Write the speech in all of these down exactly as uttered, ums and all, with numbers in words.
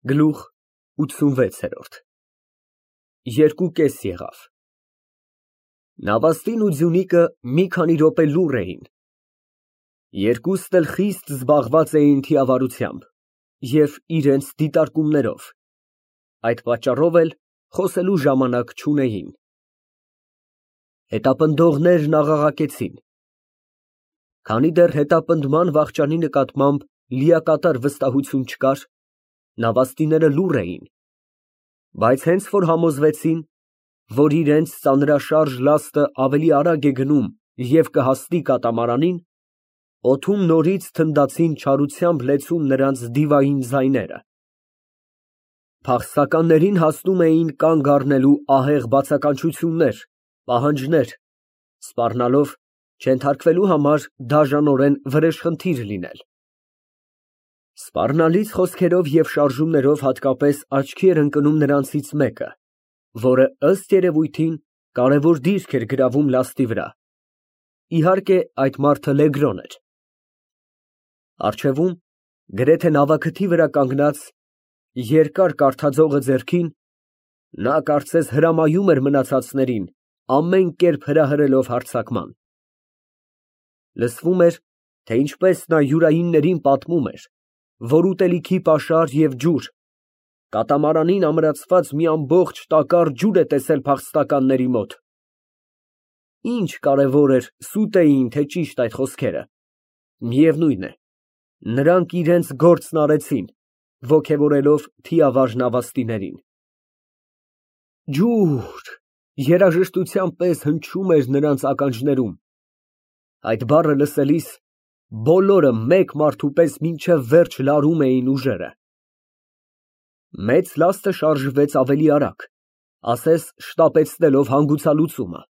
Գլուխ ութսունվեց։ Երկու կես եղավ։ Նավաստին ու Ձյունիկը մի քանի րոպե լուռ էին։ Երկուսն էլ խիստ զբաղված էին թիավարությամբ և իրենց դիտարկումներով, այդ պատճառով էլ խոսելու ժամանակ չունեին։ Հետապնդողներն աղաղակեցին։ Քանի դեռ հետապնդման վախճանի նկատմամբ լիակատար վստահություն չկար, նավաստիները լուռ էին, բայց հենց որ համոզվեցին, որ իրենց ծանրաշարժ լաստը ավելի արագ է գնում և կհասնի կատամարանին, օդում նորից թնդացին չարությամբ լեցուն նրանց դիվային ձայները։ Փախստականներին հասնում էին կանգ առնելու ահեղ բացականչություններ, պահանջներ, սպառնալով չենթարկվելու համար դաժանորեն վրեժխնդիր լինել։ Սպառնալից խոսքերով և շարժումներով հատկապես աչքի էր ընկնում նրանցից մեկը, որը, ըստ երևույթին, կարևոր դիրք էր գրավում լաստի վրա, իհարկե, այդ մարդը Լեգրոն էր։ Առջևում, գրեթե նավաքթի վրա կանգնած, երկար կարդաձողը ձեռքին, նա կարծես հրամայում էր մնացածներին ամեն կերպ հրահրելով հարձակման։ Լսվում էր, թե ինչպես նա յուրայիններին պատմում էր, որ ուտելիքի պաշար և ջուր, կատամարանին ամրացված մի ամբողջ տակառ ջուր է տեսել փախստականների մոտ։ Ինչ կարևոր էր սուտ էին, թե ճիշտ այդ խոսքերը, միևնույն է, նրանք իրենց գործն արեցին, ոգևորելով թիավար նավաստիներին։ Ջուր երաժշտության պես հնչում էր նրանց ականջներում, այդ բառը լսելիս բոլորը մեկ մարդու պես մինչև վերջ լարում էին ուժերը։ Մեծ լաստը շարժվեց ավելի արագ, ասես շտապեցնելով հանգուցալուծումը։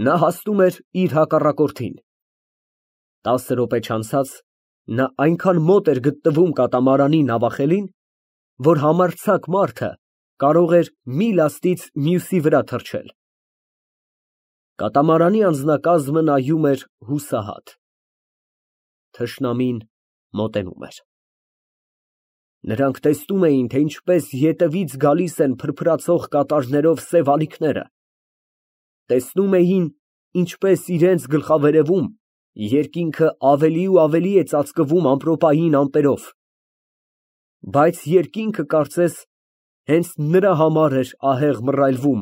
Նա հասնում էր իր հակառակորդին։ Տասը րոպե չանցած նա այնքան մոտ էր գտնվում կատամարանի նավախելին, որ համարձակ մարդը կարող էր մի լաստից մյուսի վրա թռչել։ Կատամարանի անձնակազմը նայում էր հուսահատ։ Թշնամին մոտենում էր։ Նրանք տեսնում էին, թե ինչպես ետևից գալիս են փրփրացող կատարներով սև ալիքները, տեսնում էին, ինչպես իրենց գլխավերևում երկինքը ավելի ու ավելի է ծածկվում ամպրոպային ամպերով, բայց երկինքը կարծես հենց նրա համար էր ահեղ մռայլվում,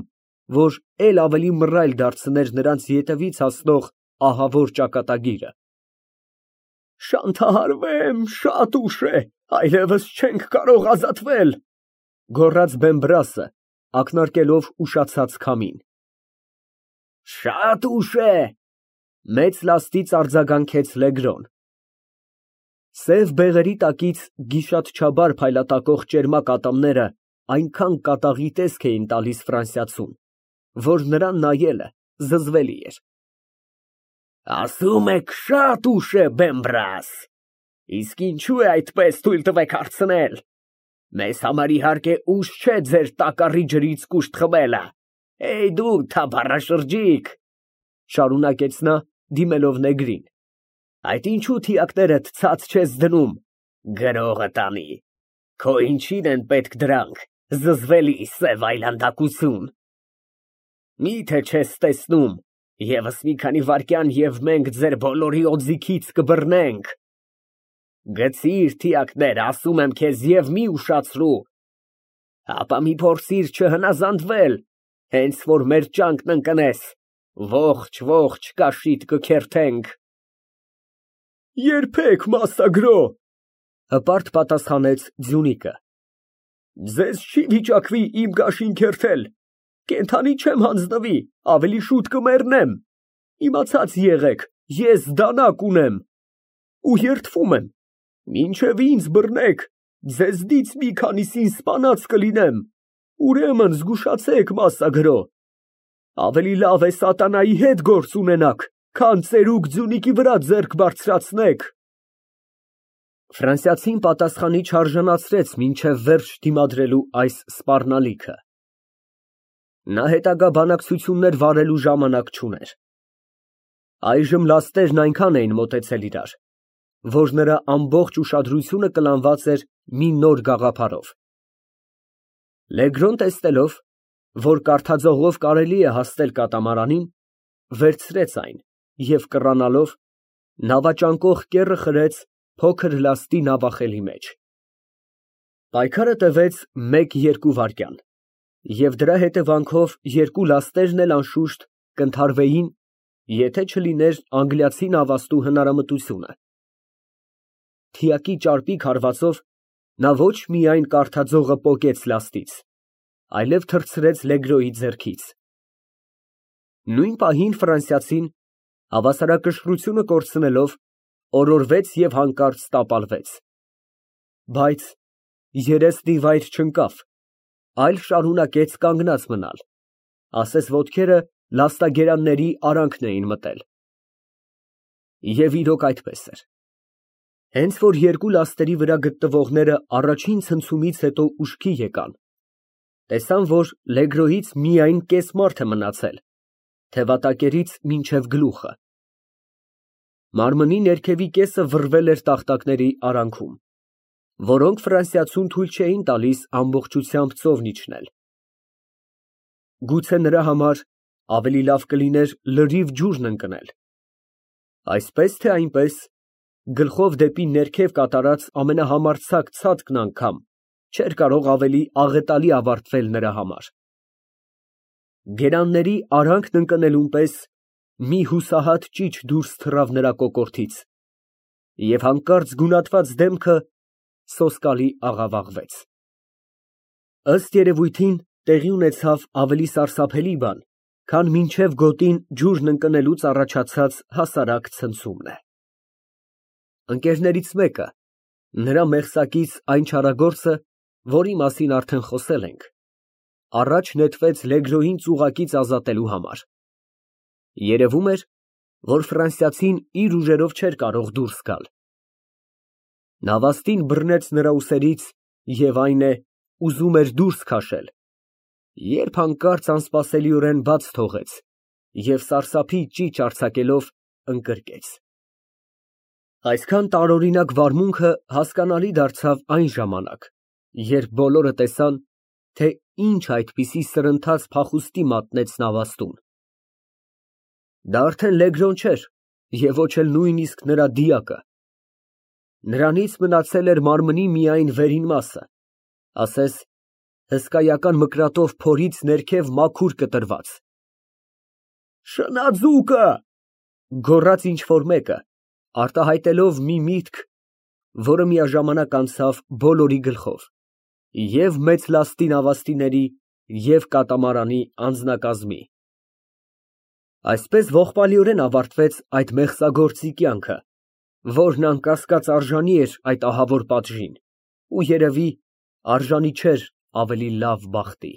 որ էլ ավելի մռայլ դարձներ նրանց ետևից հասնող ահավոր ճակատագիրը։ Շանթահարվեմ, շատ ուշ է, այլևս չենք կարող ազատվել, գոռաց Բեմբրասը, ակնարկելով ուշացած քամին։ Շատ ուշ է, մեծ լաստից արձագանքեց Լեգրոն։ Սև բեղերի տակից գիշատչաբար փայլատակող ճերմակ ատամները այնքան կատաղի տեսք էին տալիս ֆրանսիացուն, որ նրան նայելը զզվելի էր։ Ասում եք շատ ուշ է, Բեմբրաս, իսկ ինչու է այդպես, թույլ տվեք հարցնել, մեզ համար իհարկե ուշ չէ ձեր տակառի ջրից կուշտ խմելը, էյ դու թափառաշրջիկ, շարունակեց նա, դիմելով նեգրին, այդ ինչու թիակներդ ցած չես դնում, գրողը տանի, քո ինչին են պետք դրանք, զզվելի սև այլանդակություն։ Միթե չես տեսնում, ևս մի քանի վայրկյան և մենք ձեր բոլորի օձիքից կբռնենք։ Գցիր թիակները, ասում եմ քեզ, և մի ուշացրու, ապա մի փորձիր չհնազանդվել, հենց որ մեր ճանկն ընկնես, ողջ ողջ կաշիդ կքերթենք։ Երբեք, մասսագրո, հպարտ պատասխանեց Ձյունիկը, ձեզ չի վիճակվի իմ կաշին քերթել, կենդանի չեմ հանձնվի, ավելի շուտ կմեռնեմ, իմացած եղեք, ես դանակ ունեմ ու երդվում եմ, մինչև ինձ բռնեք, ձեզնից մի քանիսին սպանած կլինեմ, ուրեմն զգուշացեք, մասսագրո, ավելի լավ է սատանայի հետ գործ ունենաք, քան ծերուկ Ձյունիկի վրա ձեռք բարձրացնեք։ Ֆրանսիացին պատասխանի չարժանացրեց մինչև վերջ դիմադրելու այս սպառնալիքը։ Նա հետագա բանակցություններ վարելու ժամանակ չուներ։ Այժմ լաստերն այնքան էին մոտեցել իրար, որ նրա ամբողջ ուշադրությունը կլանված էր մի նոր գաղափարով։ Լեգրոն տեսնելով, որ կարդաձողով կարելի է հասնել կատամարանին, վերցրեց այն և կռանալով, նավաճանկող կեռը խրեց փոքր լաստի նավախելի մեջ։ Պայքարը տևեց մեկ֊երկու վայրկյան, և դրա հետևանքով երկու լաստերն էլ անշուշտ կընդհարվեին, եթե չլիներ անգլիացի նավաստու հնարամտությունը։ Թիակի ճարպիկ հարվածով նա ոչ միայն կարդաձողը պոկեց լաստից, այլև թռցրեց Լեգրոյի ձեռքից։ Նույն պահին ֆրանսիացին, հավասարակշռությունը կորցնելով, օրորվեց և հանկարծ տապալվեց, բայց երեսն ի վայր չընկավ, այլ շարունակեց կանգնած մնալ, ասես ոտքերը լաստագերանների արանքն էին մտել։ Եվ իրոք այդպես էր։ Հենց որ երկու լաստերի վրա գտնվողները առաջին ցնցումից հետո ուշքի եկան, տեսան, որ Լեգրոյից միայն կես մարդ է մնացել, թևատակերից մինչև գլուխը։ Մարմնի ներքևի կեսը վռվել էր տախտակների արանքում, որոնք ֆրանսիացուն թույլ չէին տալիս ամբողջությամբ ծովն իջնել։ Գուցե նրա համար ավելի լավ կլիներ լրիվ ջուրն ընկնել։ Այսպես թե այնպես, գլխով դեպի ներքև կատարած ամենահամարձակ ցատկն անգամ չէր կարող ավելի աղետալի ավարտվել նրա համար։ Գերանների արանքն ընկնելուն պես մի հուսահատ ճիչ դուրս թռավ նրա կոկորդից, և հանկարծ գունատված դեմքը սոսկալի աղավաղվեց։ Ըստ երևույթին տեղի ունեցավ ավելի սարսափելի բան, քան մինչև գոտին ջուրն ընկնելուց առաջացած հասարակ ցնցումն է։ Ընկերներից մեկը, նրա մեղսակից այն չարագործը, որի մասին արդեն խոսել ենք, առաջ նետվեց Լեգրոյին ծուղակից ազատելու համար։ Երևում էր, որ ֆրանսիացին իր ուժերով չէր կարող դուրս գալ։ Նավաստին բռնեց նրա ուսերից և, այն է, ուզում էր դուրս քաշել, երբ հանկարծ անսպասելիորեն բաց թողեց և սարսափի ճիչ արձակելով ընկրկեց։ Այսքան տարօրինակ վարմունքը հասկանալի դարձավ այն ժամանակ, երբ բոլորը տեսան, թե ինչ այդպիսի սրընթաց փախուստի մատնեց նավաստուն։ Դա արդեն Լեգրոն չէր և ոչ էլ նույնիսկ նրա դիակը։ Նրանից մնացել էր մարմնի միայն վերին մասը, ասես հսկայական մկրատով փորից ներքև մաքուր կտրված։ «Շնաձուկը», գոռաց ինչ֊որ մեկը, արտահայտելով մի միտք, որը միաժամանակ անցավ բոլորի գլխով, և մեծ լաստի նավաստիների, և կատամարանի անձնակազմի։ Այսպես ողբալիորեն ավարտվեց այդ մեղսագործի կյանքը, որն անկասկած արժանի էր այդ ահավոր պատժին ու երևի արժանի չէր ավելի լավ բախտի։